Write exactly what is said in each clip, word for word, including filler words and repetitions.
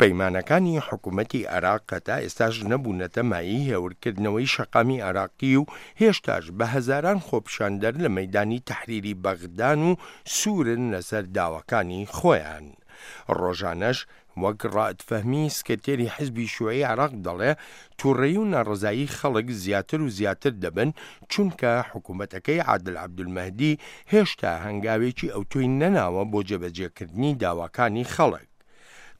پەیمانەکانی حکوومەتی عێراق تا ئێستاش نەبوونەتە مایەی هێورکردنەوەی شەقامی عێراقی و هێشتاش بە هەزاران خۆپیشاندەر لە مەیدانی تەحریری بەغدان و سوورن لەسەر داواکانی خۆیان. ڕۆژانەش وەک ڕائد فەهمی سکرتێری حزبی شیوعی عێراق دەڵێ تووڕەیی و ناڕەزایی خەڵک زیاتر و زیاتر دەبن، چونکە حکوومەتەکەی عادل عەبدولمەهدی هێشتا هەنگاوێکی ئەوتۆی نەناوە بۆ جێبەجێکردنی داواکانی خەڵک.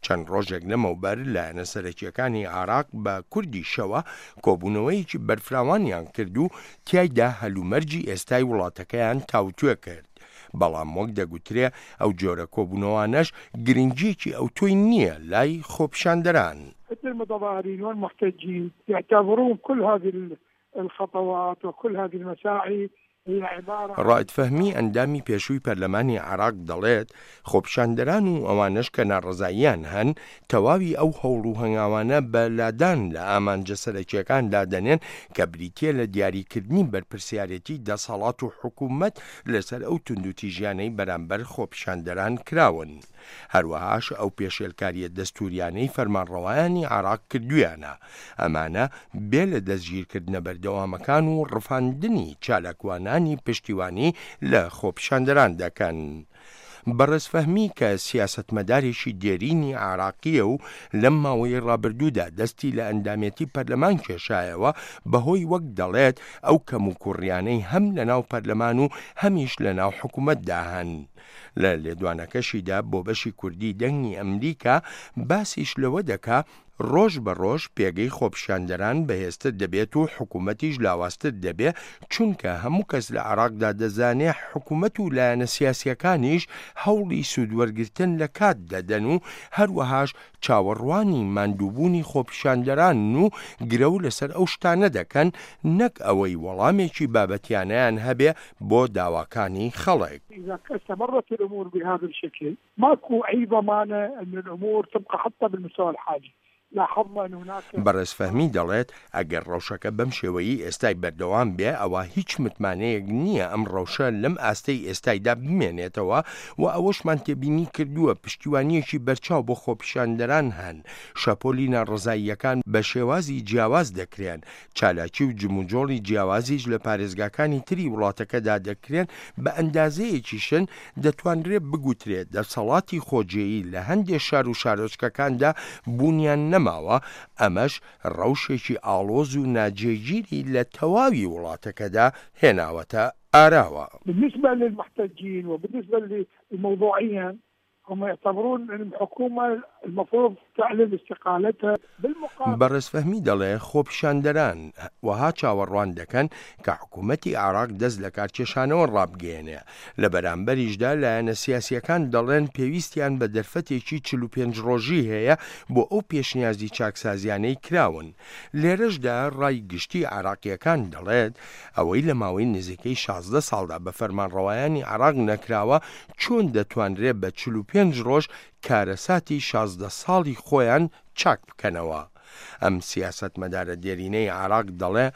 چەند ڕۆژێک لەمەوبەر لایەنە سەرەکییەکانی عێراق بە کوردیشەوە کۆبوونەوەیەکی بەرفراوانیان کرد و تیایدا هەلومەرجی ئێستای وڵاتەکەیان تاوتوێ کرد. بەڵام وەک دەگوترێ ئەو جۆرە کۆبوونەوانەش گرنگییەکی ئەوتۆی نییە لای خۆپیشاندەران. المتظاهرين والمحتجين يعتبرون كل هذه الخطوات وكل هذه المساعي ڕائد فەهمی ئەندامی پێشووی پەرلەمانی عێراق دەڵێت، خۆپیشاندەران و ئەوانەش کە ناڕەزاییان هەن تەواوی ئەو هەوڵ و هەنگاوانە بە لادان لە ئامانجە سەرەکییەکان دادەنێن کە بریتییە لە دیاریکردنی بەرپرسیارێتی دەسەڵات و حکوومەت لەسەر ئەو توندوتیژیانەی بەرامبەر خۆپیشاندەران کراون، هەروەهاش ئەو پێشێلکارییە دەستووریانەی فەرمانڕەوایانی عێراق کردوویانە، ئەمانە بێ لە دەستگیرکردنە بەردەوامەکان و ڕفاندنی چالاکوانانی پشتیوانی لە خۆپیشاندەران دەکەن. بەڕێز فەهمی کە سیاسەتمەدارێکی دێرینی عێراقییە و لەم ماوەی ڕابردوودا دەستی لە ئەندامێتی پەرلەمان کێشایەوە بەهۆی وەک دەڵێت ئەو کەموکوڕیانەی هەم لەناو پەرلەمان و هەمیش لەناو حکوومەتدا هەن. لە لێدوانەکەشیدا بۆ بەشی کوردی دەنگی ئەمریکا باسیش لەوە دەکا ڕۆژ بە ڕۆژ پێگەی خۆپیشاندەران بەهێزتر دەبێت و حکوومەتیش لاوازتر دەبێت، چونکە هەموو کەس لە عێراقدا دەزانێ حکوومەت و لایەنە سیاسیەکانیش هەوڵی سوودوەرگرتن لە کات دەدەن و هەروەهاش چاوەڕوانی ماندووبوونی خۆپیشاندەران و گرەو لەسەر ئەو شتانە دەکەن نەک ئەوەی وەڵامێکی بابەتیانەیان هەبێ بۆ داواکانی خەڵک. إذا استمرت الأمور بهذا الشكل ماكو أي ضمانة أن الأمور تبقى حتى بالمستوى الحالي. بەڕێز فەهمی دەڵێت ئەگەر ڕەوشەکە بەم شێوەیی ئێستای بەردەوام بێ ئەوە هیچ متمانەیەک نییە ئەم ڕەوشە لەم ئاستەی ئێستایدا بمێنێتەوە و ئەوەشمان تێبینی کردووە پشتیوانیەکی بەرچاو بۆ خۆپیشاندەران هەن، شەپۆلی ناڕەزاییەکان بە شێوازی جیاواز دەکرێن، چالاکی و جموجۆڵی جیاوازیش لە پارێزگاکانی تری وڵاتەکەدا دەکرێن، بە ئەندازەیەکیشن دەتوانرێت بگوترێت دەسەڵاتی خۆجێیی لە هەندێک شار و شارۆچکەکاندا بوونیان نەما. ئەمەش ڕەوشێکی ئاڵۆز و ناجێگیری لە تەواوی وڵاتەکەدا هێناوەتە ئاراوە. بالنسبة للمحتجين وبالنسبة للموضوعيا هم يعتبرون أن الحكومة المفروض تعلن استقالتها بالمقابل. بەڕێز فەهمی دەڵێ خۆپیشاندەران وەها چاوەڕوان دەکەن کە حکوومەتی عێراق دەست لە کارکێشانەوە ڕابگەیەنێ. لە بەرامبەریشدا لایەنە سیاسیەکان دەڵێن پێویستیان بە دەرفەتێکی چل و پێنج ڕۆژی هەیە بۆ ئەو پێشنیازی چاکسازیانەی کراون. لێرەشدا ڕای گشتی عێراقیەکان دەڵێت ئەوەی لە ماوەی نزیکەی شازدە ساڵدا بە فەرمانڕەوایانی عێراق نەکراوە چۆن دەتوانرێت بە چل و پێنج ڕۆژ کارەساتی شازدە ساڵی خۆیان چاک بکەنەوە. ئەم سیاسەتمەدارە دێرینەی عێراق دەڵێ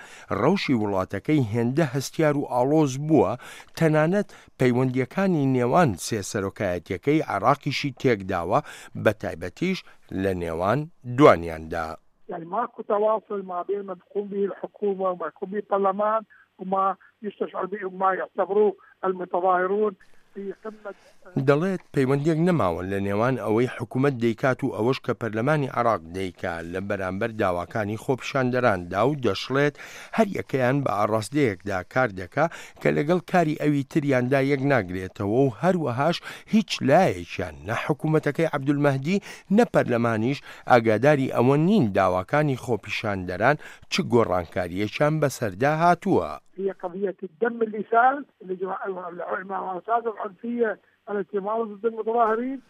ڕەوشی وڵاتەکەی هێندە هەستیار و ئاڵۆز بووە تەنانەت پەیوەندیەکانی نێوان سێ سەرۆکایەتیەکەی عێراقیشی تێکداوە، بە تایبەتیش لە نێوان دوانیاندا. يعني ماكو تواصل ما بين ما تقوم به الحكومة وما يقوم به البرلمان وما يستشعر به وما يعتبروه المتظاهرون. دەڵێت پەیوەندیەک نەماوە لە نێوان ئەوەی حکوومەت دەیکات و ئەوەش کە پەرلەمانی عێراق دەیکا لە بەرامبەر داواکانی خۆپیشاندەراندا و دەشڵێت هەر یەکەیان بە ئاڕاستەیەکدا کار دەکا کە لەگەڵ کاری ئەوی تریاندا یەک ناگرێتەوە و هەروەهاش هیچ لایەکیان نە حکوومەتەکەی عەبدولمەهدی نە پەرلەمانیش ئاگاداری ئەوە نین داواکانی خۆپیشاندەران چ گۆڕانکاریەکیان بەسەردا هاتووە. هي قضية الدم اللي سال الممارسات العنفية التي مارست ضد المتظاهرين.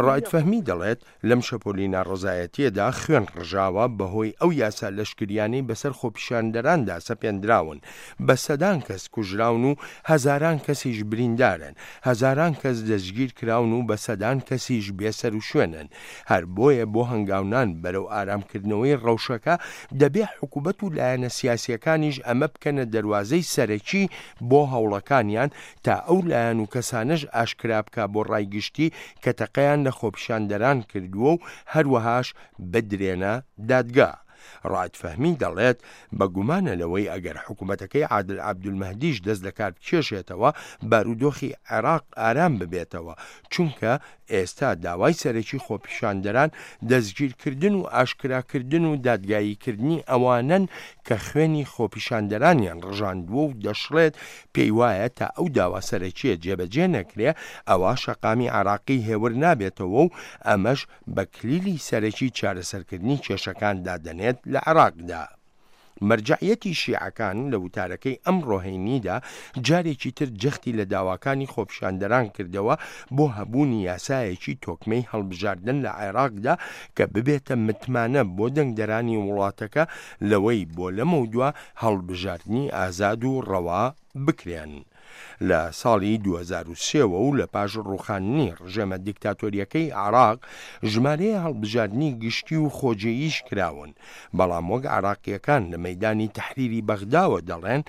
ڕائد فەهمی دەڵێت لەم شەپۆلی ناڕەزایەتیەدا خوێن ڕژاوە بەهۆی ئەو یاسا لەشکریانەی بەسەر خۆپیشاندەراندا سەپێندراون، بە سەدان کەس کوژراون و هەزاران کەسیش بریندارن، هەزاران کەس دەستگیر کراون و بە سەدان کەسیش بێسەر و شوێنن. هەر بۆیە بۆ هەنگاونان بەرەو ئارامکردنەوەی ڕەوشەکە دەبێ حکوومەت و لایەنە سیاسیەکانیش ئەمە بکەنە دەروازەی سەرەکی بۆ هەوڵەکانیان تا ئەو لایەن و کەسانەش ئاشکرا بکە بۆ ڕای گشتی کە تەقەیان تەقەیان لە خۆپیشاندەران کردووە و هەروەهاش بدرێنە دادگا. ڕائد فەهمی دەڵێت بەگومانە لەوەی ئەگەر حکوومەتەکەی عادل عەبدولمەهدیش دەست لەکار بکێشێتەوە بارودۆخی عێراق ئارام ببێتەوە، چونکە ئێستا داوای سەرەکی خۆپیشاندەران دەستگیرکردن و ئاشکراکردن و دادگاییکردنی ئەوانەن کە خوێنی خۆپیشاندەرانیان ڕژاندووە و دەشڵێت پێی وایە تا ئەو داوا سەرەکیە جێبەجێ نەکرێ ئەوە شەقامی عێراقی هێور نابێتەوە و ئەمەش بە کلیلی سەرەکی چارەسەرکردنی کێشەکان دادەنێت لە عێراقدا. مەرجەعیەتی شیعەکان لە وتارەکەی ئەمڕۆ هەینیدا جارێکی تر جەختی لە داواکانی خۆپیشاندەران کردەوە بۆ هەبوونی یاسایەکی تۆکمەی هەڵبژاردن لە عێراقدا کە ببێتە متمانە بۆ دەنگدەرانی وڵاتەکە لەوەی بۆ لەمەودوا هەڵبژاردنی ئازاد و ڕەوا بکرێن. لە ساڵی دوو هەزار و سێ و لە پاش ڕوخاندنی ڕژێمە دیکتاتۆریەکەی عێراق ژمارەیە هەڵبژاردنی گشتی و خۆجێیش کراون، بەڵام وەک عێراقیەکان لە مەیدانی تەحریری بەغداوە دەڵێن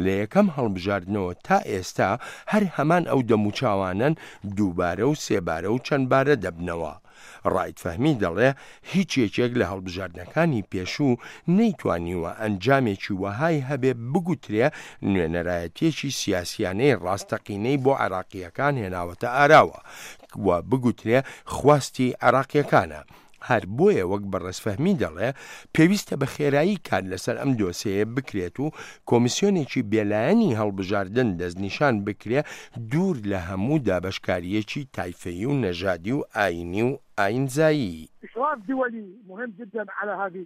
لە یەکەم هەڵبژاردنەوە تا ئێستا هەر هەمان ئەو دەموچاوانن دووبارە و سێبارە و چەندبارە دەبنەوە. ڕائد فەهمی دەڵێ هیچ یەکێک لە هەڵبژاردنەکانی پێشوو نەیتوانیوە ئەنجامێکی وەهای هەبێ بگوترێ نوێنەرایەتیەکی سیاسیانەی ڕاستەقینەی بۆ عێراقیەکان هێناوەتە ئاراوە و بگوترێ خواستی عێراقیەکانە. هەر بۆیە وەک بەڕێز فەهمی دەڵێ پێویستە بە خێرایی کار لەسەر ئەم دۆسیەیە بکرێت و کۆمیسیۆنێکی بێلایەنی هەڵبژاردن دەستنیشان بکرێ دوور لە هەموو دابەشکاریەکی تایفەیی و نەژادی و ئاینی و ئاینزایی. إشراف دولي مهم جدا على هذه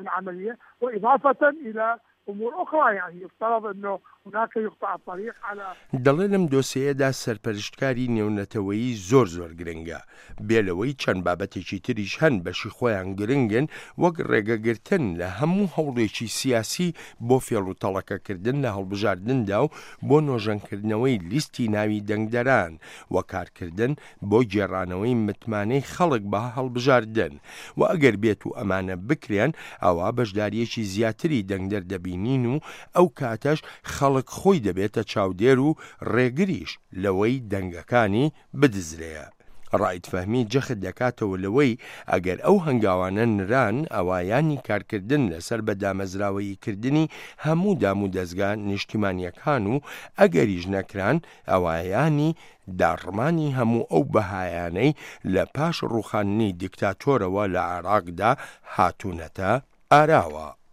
العملية، وإضافة إلى أمور أخرى، يعني يفترض أنه هناك يقطع الطريق على دەڵێ لەم دۆسیەیەدا سەرپەرشتکاری نێونەتەوەیی زۆر زۆر گرنگە، بێ لەوەی چەند بابەتێکی تریش هەن بەشی خۆیان گرنگن وەک ڕێگەگرتن لە هەموو هەوڵێکی سیاسی بۆ فێڵ و تەڵەکەکردن لە هەڵبژاردندا و بۆ نۆژەنکردنەوەی لیستی ناوی دەنگدەران و کارکردن بۆ گێڕانەوەی متمانەی خەڵک بە هەڵبژاردن و ئەگەر بێت و ئەمانە بکرێن ئەوە بەشداریەکی زیاتری دەنگدەر دەبینین و ئەو کاتەش خەڵک خۆی دەبێتە چاودێر و ڕێگریش لەوەی دەنگەکانی بدزرێ. ڕائد فەهمی جەخت دەکاتەوە لەوەی ئەگەر ئەو هەنگاوانە نران ئەوایانی کارکردن لەسەر بە دامەزراوەییکردنی هەموو دام و دەستگا نیشتیمانیەکان و ئەگەریش نەکران ئەوایانی داڕمانی هەموو ئەو بەهایانەی لە پاش ڕوخاندنی دیکتاتۆرەوە لە عێراقدا هاتوونەتە ئاراوە.